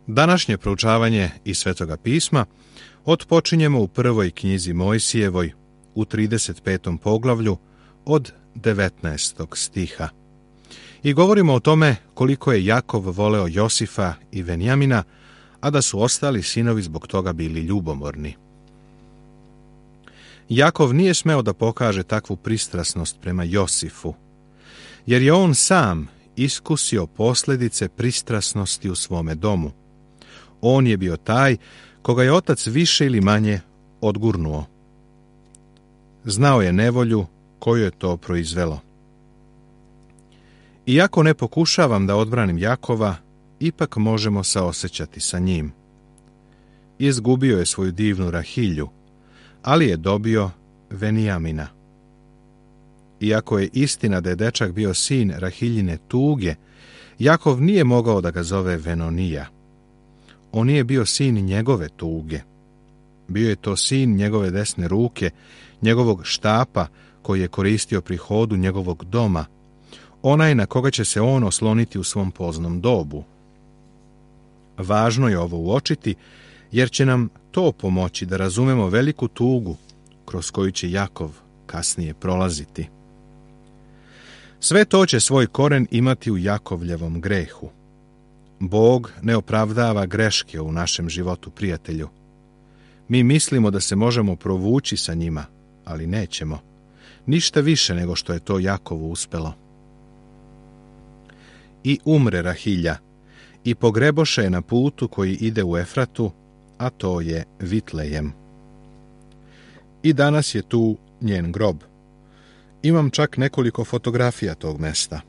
Današnje proučavanje iz Svetoga pisma otpočinjemo u prvoj knjizi Mojsijevoj, u 35. poglavlju, od 19. stiha. I govorimo o tome koliko je Jakov voleo Josifa i Venjamina, a da su ostali sinovi zbog toga bili ljubomorni. Jakov nije smeo da pokaže takvu pristrasnost prema Josifu, jer je on sam iskusio posljedice pristrasnosti u svome domu. On je bio taj koga je otac više ili manje odgurnuo. Znao je nevolju koju je to proizvelo. Iako ne pokušavam da odbranim Jakova, ipak možemo saosećati sa njim. Izgubio je svoju divnu Rahilju, ali je dobio Venijamina. Iako je istina da je dečak bio sin Rahiljine tuge, Jakov nije mogao da ga zove Venonija. On nije bio sin njegove tuge. Bio je to sin njegove desne ruke, njegovog štapa koji je koristio pri hodu njegovog doma, onaj na koga će se on osloniti u svom poznom dobu. Važno je ovo uočiti, jer će nam to pomoći da razumemo veliku tugu kroz koju će Jakov kasnije prolaziti. Sve to će svoj koren imati u Jakovljevom grehu. Bog ne opravdava greške u našem životu, prijatelju. Mi mislimo da se možemo provući sa njima, ali nećemo. Ništa više nego što je to Jakovu uspelo. I umre Rahilja, i pogreboše je na putu koji ide u Efratu, a to je Vitlejem. I danas je tu njen grob. Imam čak nekoliko fotografija tog mesta.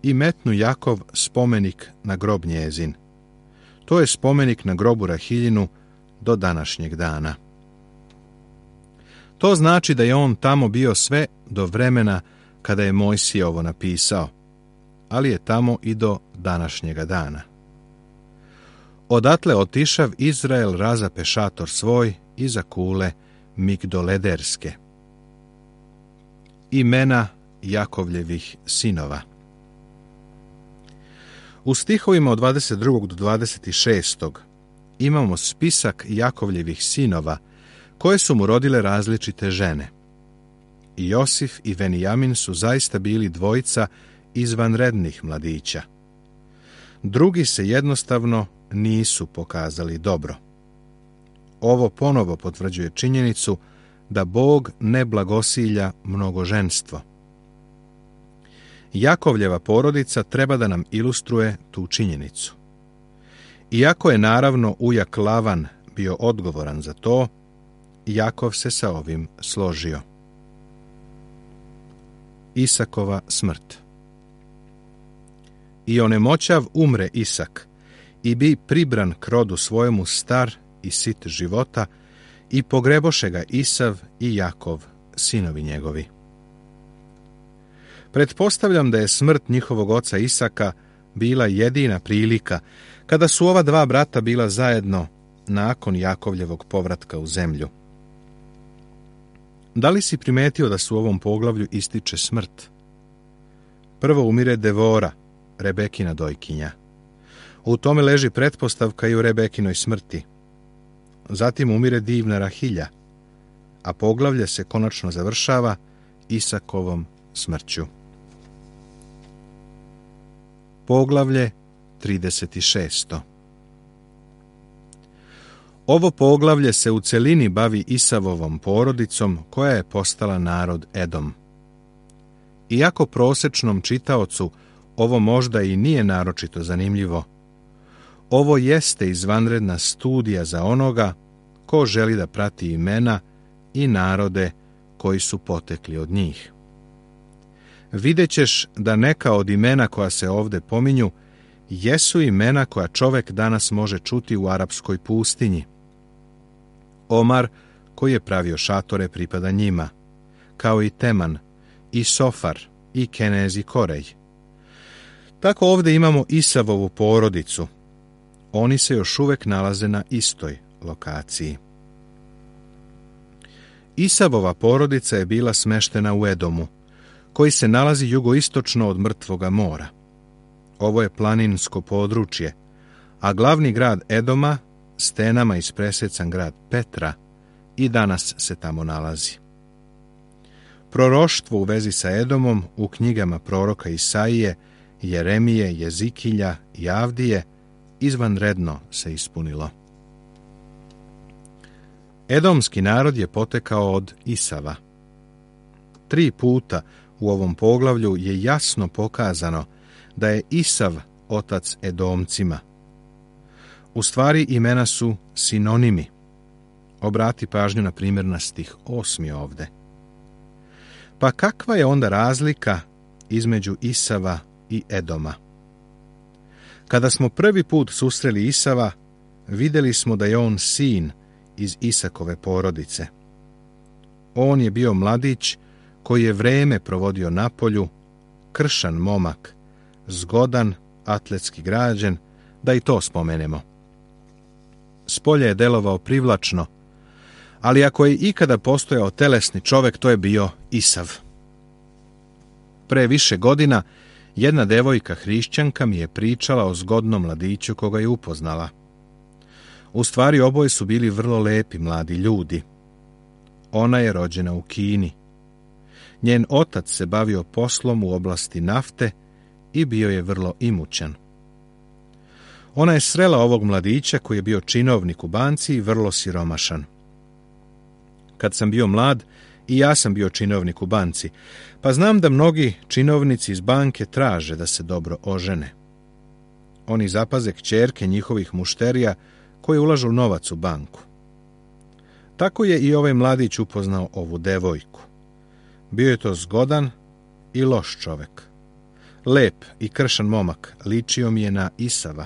I metnu Jakov spomenik na grob njezin. To je spomenik na grobu Rahiljinu do današnjeg dana. To znači da je on tamo bio sve do vremena kada je Mojsije ovo napisao, ali je tamo i do današnjega dana. Odatle otišav Izrael razape šator svoj iza kule Migdolederske. Imena Jakovljevih sinova. U stihovima od 22. do 26. imamo spisak Jakovljevih sinova, koje su mu rodile različite žene. I Josif i Venijamin su zaista bili dvojica izvanrednih mladića. Drugi se jednostavno nisu pokazali dobro. Ovo ponovo potvrđuje činjenicu da Bog ne blagosilja mnogoženstvo. Jakovljeva porodica treba da nam ilustruje tu činjenicu. Iako je naravno ujak Lavan bio odgovoran za to, Jakov se sa ovim složio. Isakova smrt. I onemoćav umre Isak, i bi pribran k rodu svojemu star i sit života, i pogreboše ga Isav i Jakov, sinovi njegovi. Pretpostavljam da je smrt njihovog oca Isaka bila jedina prilika kada su ova dva brata bila zajedno nakon Jakovljevog povratka u zemlju. Da li si primetio da se u ovom poglavlju ističe smrt? Prvo umire Devora, Rebekina dojkinja. U tome leži pretpostavka i u Rebekinoj smrti. Zatim umire divna Rahilja, a poglavlje se konačno završava Isakovom smrću. Poglavlje 36. Ovo poglavlje se u celini bavi Isavovom porodicom koja je postala narod Edom. Iako prosečnom čitaocu ovo možda i nije naročito zanimljivo, ovo jeste izvanredna studija za onoga ko želi da prati imena i narode koji su potekli od njih. Vidjet ćeš da neka od imena koja se ovde pominju jesu imena koja čovek danas može čuti u arapskoj pustinji. Omar, koji je pravio šatore, pripada njima, kao i Teman, i Sofar, i Kenez i Korej. Tako ovde imamo Isavovu porodicu. Oni se još uvek nalaze na istoj lokaciji. Isavova porodica je bila smeštena u Edomu, koji se nalazi jugoistočno od Mrtvoga mora. Ovo je planinsko područje, a glavni grad Edoma, stenama ispresecan grad Petra, i danas se tamo nalazi. Proroštvo u vezi sa Edomom u knjigama proroka Isaije, Jeremije, Jezikilja i Avdije izvanredno se ispunilo. Edomski narod je potekao od Isava. 3 puta u ovom poglavlju je jasno pokazano da je Isav otac Edomcima. U stvari imena su sinonimi. Obrati pažnju na primjer na stih 8. ovde. Pa kakva je onda razlika između Isava i Edoma? Kada smo prvi put susreli Isava, vidjeli smo da je on sin iz Isakove porodice. On je bio mladić koji je vreme provodio na polju, kršan momak, zgodan, atletski građen, da i to spomenemo. Spolje je delovao privlačno, ali ako je ikada postojao telesni čovjek, to je bio Isav. Pre više godina jedna devojka hrišćanka mi je pričala o zgodnom mladiću koga je upoznala. U stvari oboje su bili vrlo lepi mladi ljudi. Ona je rođena u Kini. Njen otac se bavio poslom u oblasti nafte i bio je vrlo imućan. Ona je srela ovog mladića koji je bio činovnik u banci i vrlo siromašan. Kad sam bio mlad, i ja sam bio činovnik u banci, pa znam da mnogi činovnici iz banke traže da se dobro ožene. Oni zapaze kćerke njihovih mušterija koji ulažu novac u banku. Tako je i ovaj mladić upoznao ovu devojku. Bio je to zgodan i loš čovek. Lep i kršan momak, ličio mi je na Isava.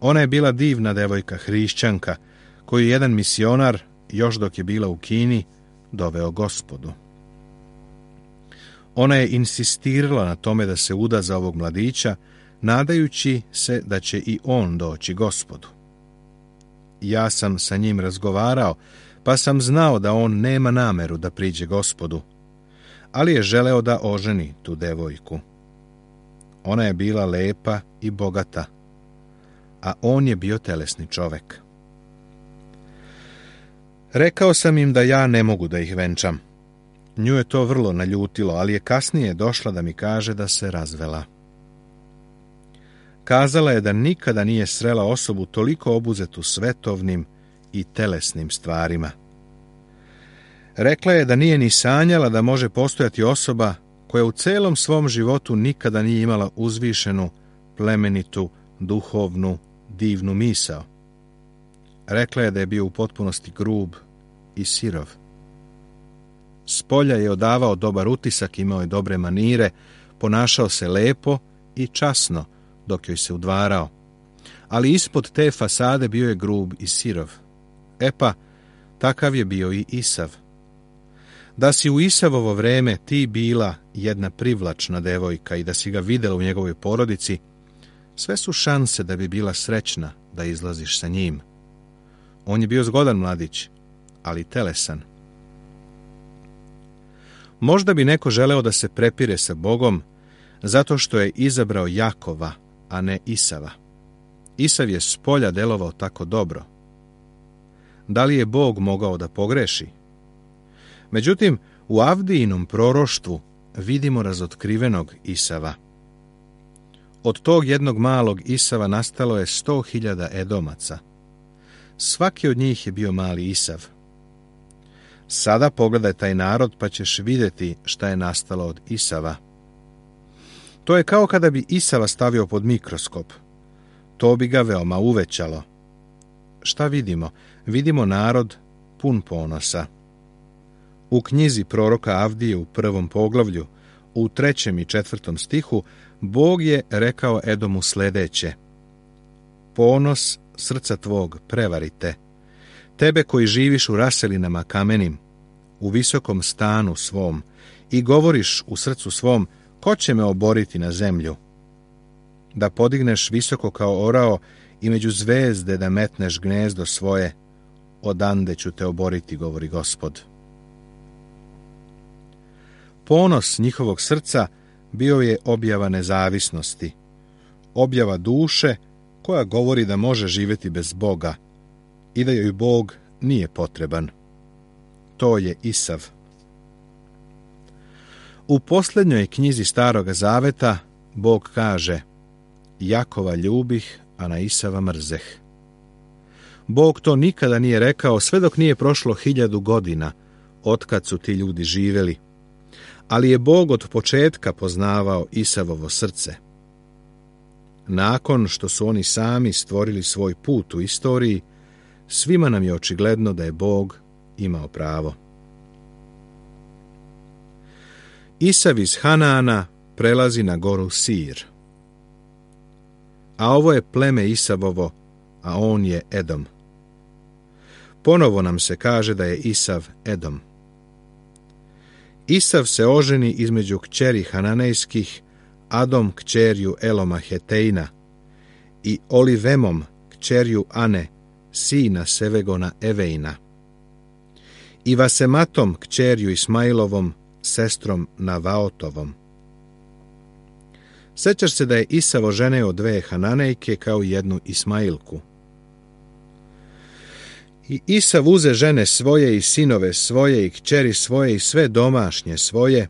Ona je bila divna devojka hrišćanka, koju jedan misionar, još dok je bila u Kini, doveo Gospodu. Ona je insistirala na tome da se uda za ovog mladića, nadajući se da će i on doći Gospodu. Ja sam sa njim razgovarao, pa sam znao da on nema nameru da priđe Gospodu, ali je želeo da oženi tu devojku. Ona je bila lepa i bogata, a on je bio telesni čovek. Rekao sam im da ja ne mogu da ih venčam. Nju je to vrlo naljutilo, ali je kasnije došla da mi kaže da se razvela. Kazala je da nikada nije srela osobu toliko obuzetu svetovnim i telesnim stvarima. Rekla je da nije ni sanjala da može postojati osoba koja u celom svom životu nikada nije imala uzvišenu, plemenitu, duhovnu, divnu misao. Rekla je da je bio u potpunosti grub i sirov. Spolja je odavao dobar utisak, imao je dobre manire, ponašao se lepo i časno dok joj se udvarao. Ali ispod te fasade bio je grub i sirov. E pa, takav je bio i Isav. Da si u Isavovo vreme ti bila jedna privlačna devojka i da si ga videla u njegovoj porodici, sve su šanse da bi bila srećna da izlaziš sa njim. On je bio zgodan mladić, ali telesan. Možda bi neko želeo da se prepire sa Bogom zato što je izabrao Jakova, a ne Isava. Isav je spolja delovao tako dobro. Da li je Bog mogao da pogreši? Međutim, u Avdijinom proroštvu vidimo razotkrivenog Isava. Od tog jednog malog Isava nastalo je 100.000 Edomaca. Svaki od njih je bio mali Isav. Sada pogledaj taj narod pa ćeš vidjeti šta je nastalo od Isava. To je kao kada bi Isava stavio pod mikroskop. To bi ga veoma uvećalo. Šta vidimo? Vidimo narod pun ponosa. U knjizi proroka Avdije u 1. poglavlju, u 3. i 4. stihu, Bog je rekao Edomu sledeće: ponos srca tvog prevarite, tebe koji živiš u raselinama kamenim, u visokom stanu svom, i govoriš u srcu svom, ko će me oboriti na zemlju? Da podigneš visoko kao orao i među zvezde da metneš gnezdo svoje, odande ću te oboriti, govori Gospod. Ponos njihovog srca bio je objava nezavisnosti, objava duše koja govori da može živjeti bez Boga i da joj Bog nije potreban. To je Isav. U posljednjoj knjizi Staroga Zaveta Bog kaže: Jakova ljubih, a na Isava mrzeh. Bog to nikada nije rekao sve dok nije prošlo 1000 godina otkad su ti ljudi živjeli, ali je Bog od početka poznavao Isavovo srce. Nakon što su oni sami stvorili svoj put u istoriji, svima nam je očigledno da je Bog imao pravo. Isav iz Hanaana prelazi na goru Sir. A ovo je pleme Isavovo, a on je Edom. Ponovo nam se kaže da je Isav Edom. Isav se oženi između kćeri Hananejskih, Adom kćerju Eloma Hetejna i Olivemom kćerju Ane, sina Sevegona Evejna, i Vasematom kćerju Ismailovom, sestrom Navaotovom. Sećaš se da je Isav oženio 2 Hananejke kao 1 Ismailku. I Isav uze žene svoje i sinove svoje i kćeri svoje i sve domašnje svoje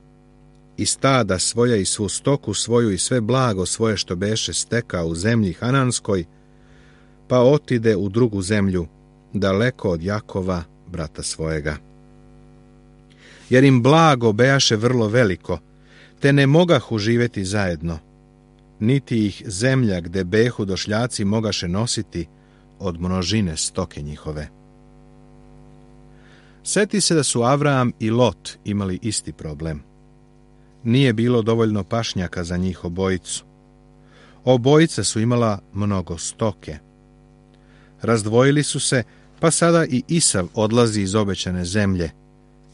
i stada svoja i svu stoku svoju i sve blago svoje što beše stekao u zemlji Hananskoj, pa otide u drugu zemlju, daleko od Jakova, brata svojega. Jer im blago bejaše vrlo veliko, te ne mogahu živjeti zajedno, niti ih zemlja gde behu došljaci mogaše nositi od množine stoke njihove. Sjeti se da su Avram i Lot imali isti problem. Nije bilo dovoljno pašnjaka za njih obojicu. Obojica su imala mnogo stoke. Razdvojili su se, pa sada i Isav odlazi iz obećane zemlje.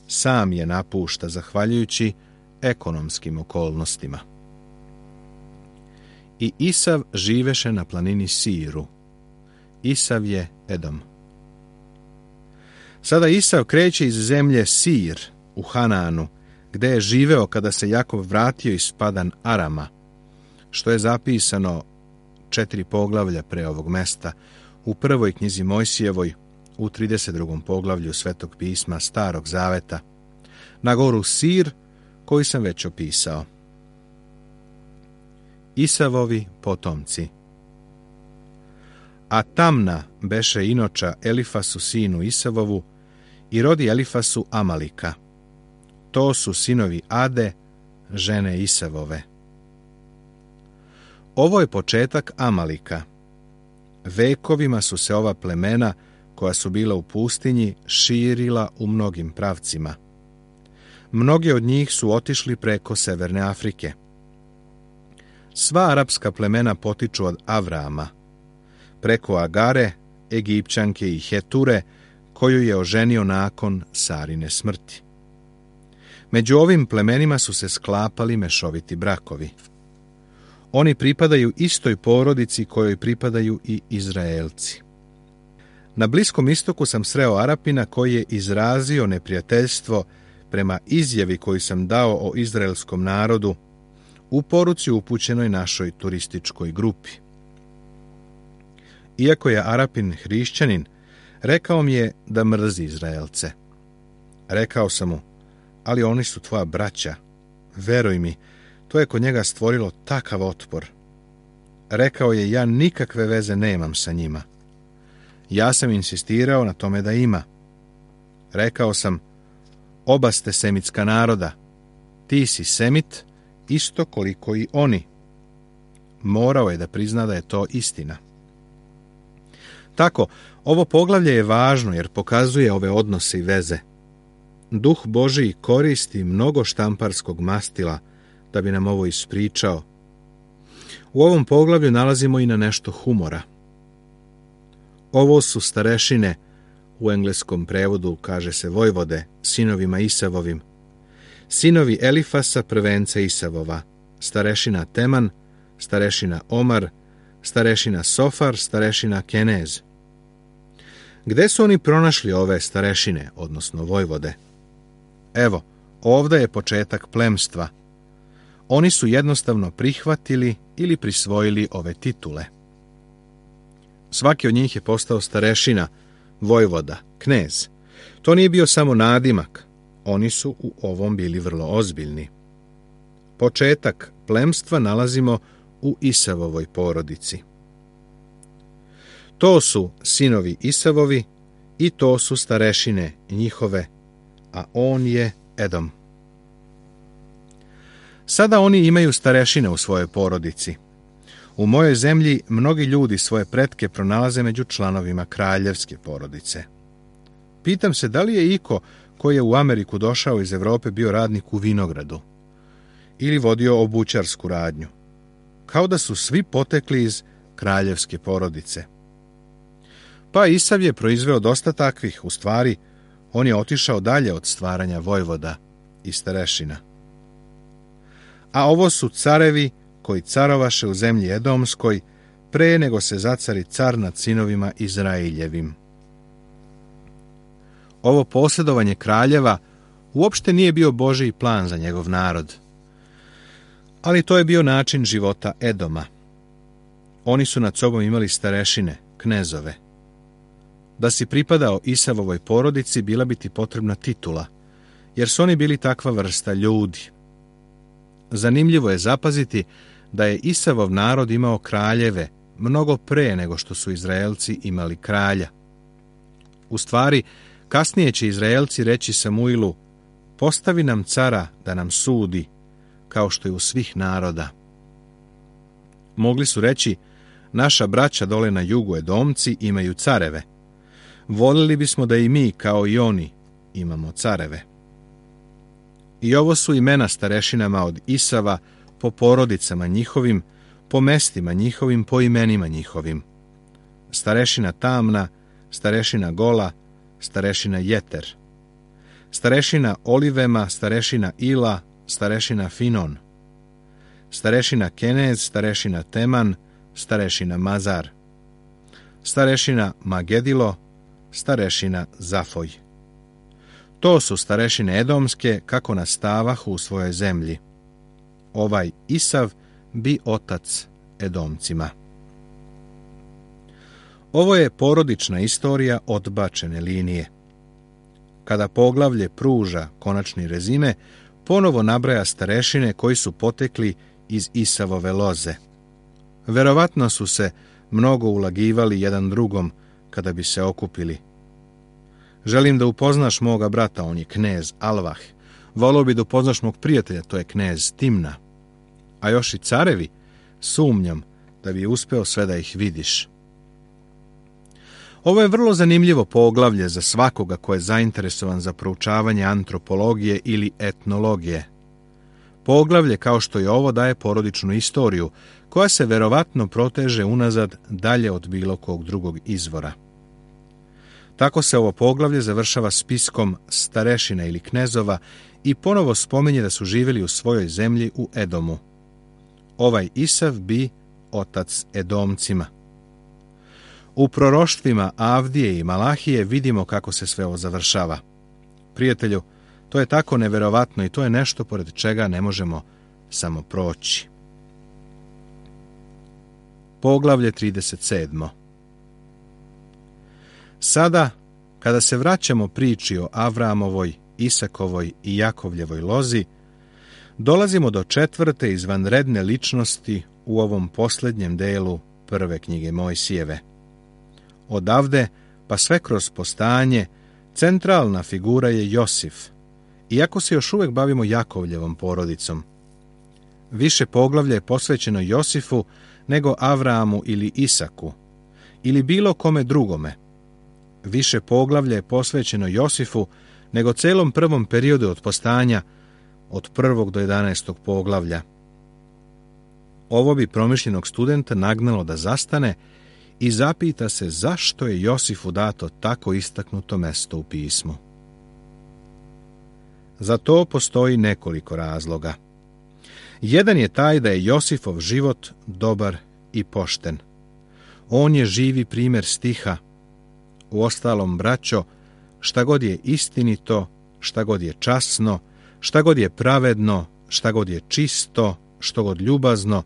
Sam je napušta zahvaljujući ekonomskim okolnostima. I Isav živeše na planini Siru. Isav je Edom. Sada Isav kreće iz zemlje Sir u Hanaanu, gde je živeo kada se Jakov vratio iz Padan Arama, što je zapisano 4 poglavlja pre ovog mesta, u 1. knjizi Mojsijevoj, u 32. poglavlju Svetog pisma Starog Zaveta, na goru Sir, koju sam već opisao. Isavovi potomci. A Tamna beše inoča Elifasu sinu Isavovu i rodi Elifasu Amalika. To su sinovi Ade, žene Isavove. Ovo je početak Amalika. Vekovima su se ova plemena, koja su bila u pustinji, širila u mnogim pravcima. Mnogi od njih su otišli preko Severne Afrike. Sva arapska plemena potiču od Avrama, preko Agare, Egipćanke i Heture, koju je oženio nakon Sarine smrti. Među ovim plemenima su se sklapali mešoviti brakovi. Oni pripadaju istoj porodici kojoj pripadaju i Izraelci. Na Bliskom istoku sam sreo Arapina koji je izrazio neprijateljstvo prema izjavi koju sam dao o izraelskom narodu u poruci upućenoj našoj turističkoj grupi. Iako je Arapin hrišćanin, rekao mi je da mrzi Izraelce. Rekao sam mu: ali oni su tvoja braća. Veruj mi, to je kod njega stvorilo takav otpor. Rekao je: ja nikakve veze nemam sa njima. Ja sam insistirao na tome da ima. Rekao sam: oba ste semitska naroda. Ti si Semit, isto koliko i oni. Morao je da prizna da je to istina. Tako, ovo poglavlje je važno jer pokazuje ove odnose i veze. Duh Božiji koristi mnogo štamparskog mastila da bi nam ovo ispričao. U ovom poglavlju nalazimo i na nešto humora. Ovo su starešine, u engleskom prevodu kaže se vojvode, sinovima Isavovim. Sinovi Elifasa, prvenca Isavova, starešina Teman, starešina Omar, starešina Sofar, starešina Kenez. Gde su oni pronašli ove starešine, odnosno vojvode? Evo, ovdje je početak plemstva. Oni su jednostavno prihvatili ili prisvojili ove titule. Svaki od njih je postao starešina, vojvoda, knez. To nije bio samo nadimak, oni su u ovom bili vrlo ozbiljni. Početak plemstva nalazimo u Isavovoj porodici. To su sinovi Isavovi i to su starešine njihove, a on je Edom. Sada oni imaju starešine u svojoj porodici. U mojoj zemlji mnogi ljudi svoje pretke pronalaze među članovima kraljevske porodice. Pitam se da li je iko koji je u Ameriku došao iz Evrope bio radnik u vinogradu ili vodio obućarsku radnju, kao da su svi potekli iz kraljevske porodice. Pa Isav je proizveo dosta takvih, u stvari, on je otišao dalje od stvaranja vojvoda i starešina. A ovo su carevi koji carovaše u zemlji Edomskoj pre nego se zacari car nad sinovima Izraeljevim. Ovo posjedovanje kraljeva uopšte nije bio Božji plan za njegov narod, ali to je bio način života Edoma. Oni su nad sobom imali starešine, knezove. Da si pripadao Isavovoj porodici bila bi ti potrebna titula, jer su oni bili takva vrsta ljudi. Zanimljivo je zapaziti da je Isavov narod imao kraljeve mnogo pre nego što su Izraelci imali kralja. U stvari, kasnije će Izraelci reći Samuilu: postavi nam cara da nam sudi, kao što je u svih naroda. Mogli su reći: naša braća dole na jugu Edomci imaju careve. Volili bismo da i mi, kao i oni, imamo careve. I ovo su imena starešinama od Isava po porodicama njihovim, po mestima njihovim, po imenima njihovim. Starešina Tamna, starešina Gola, starešina Jeter. Starešina Olivema, starešina Ila, starešina Finon. Starešina Kenez, starešina Teman, starešina Mazar. Starešina Magedilo, starešina Zafoj. To su starešine Edomske kako nastavahu u svojoj zemlji. Ovaj Isav bi otac Edomcima. Ovo je porodična istorija odbačene linije. Kada poglavlje pruža konačni rezime, ponovo nabraja starešine koji su potekli iz Isavove loze. Verovatno su se mnogo ulagivali jedan drugom kada bi se okupili. Želim da upoznaš moga brata, on je knez Alvah. Volio bi da upoznaš mog prijatelja, to je knez Timna. A još i carevi, sumnjam da bi uspeo sve da ih vidiš. Ovo je vrlo zanimljivo poglavlje za svakoga ko je zainteresovan za proučavanje antropologije ili etnologije. Poglavlje kao što je ovo daje porodičnu istoriju, koja se verovatno proteže unazad dalje od bilo kog drugog izvora. Tako se ovo poglavlje završava spiskom starešina ili knezova i ponovo spominje da su živjeli u svojoj zemlji u Edomu. Ovaj Isav bi otac Edomcima. U proroštvima Avdije i Malahije vidimo kako se sve ovo završava. Prijatelju, to je tako neverovatno i to je nešto pored čega ne možemo samo proći. Poglavlje 37. Sada, kada se vraćamo priči o Avramovoj, Isakovoj i Jakovljevoj lozi, dolazimo do četvrte izvanredne ličnosti u ovom posljednjem delu prve knjige Mojsijeve. Odavde, pa sve kroz postanje, centralna figura je Josif, iako se još uvijek bavimo Jakovljevom porodicom. Više poglavlja je posvećeno Josifu nego Avramu ili Isaku, ili bilo kome drugome. Više poglavlja je posvećeno Josifu nego celom prvom periodu od postanja, od 1. do 11. poglavlja. Ovo bi promišljenog studenta nagnalo da zastane i zapita se zašto je Josifu dato tako istaknuto mesto u pismu. Za to postoji nekoliko razloga. Jedan je taj da je Josifov život dobar i pošten. On je živi primjer stiha. Uostalom, braćo, šta god je istinito, šta god je časno, šta god je pravedno, šta god je čisto, što god ljubazno,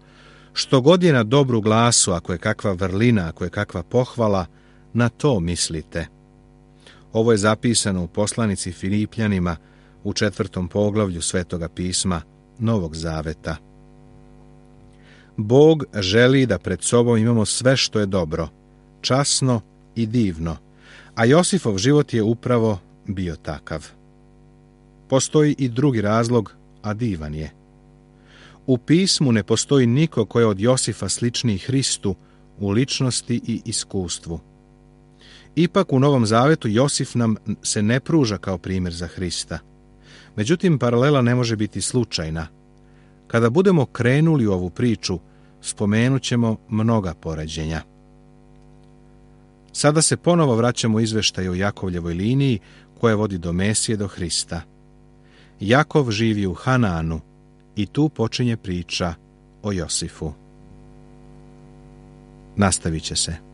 Što god je na dobru glasu, ako je kakva vrlina, ako je kakva pohvala, na to mislite. Ovo je zapisano u poslanici Filipljanima u 4. poglavlju Svetoga pisma Novog Zaveta. Bog želi da pred sobom imamo sve što je dobro, časno i divno, a Josifov život je upravo bio takav. Postoji i drugi razlog, a divan je. U pismu ne postoji niko ko je od Josifa sličniji Hristu u ličnosti i iskustvu. Ipak u Novom Zavetu Josif nam se ne pruža kao primjer za Hrista. Međutim, paralela ne može biti slučajna. Kada budemo krenuli u ovu priču, spomenut ćemo mnoga poređenja. Sada se ponovo vraćamo izveštaju o Jakovljevoj liniji koja vodi do Mesije, do Hrista. Jakov živi u Hanaanu i tu počinje priča o Josifu. Nastavit će se.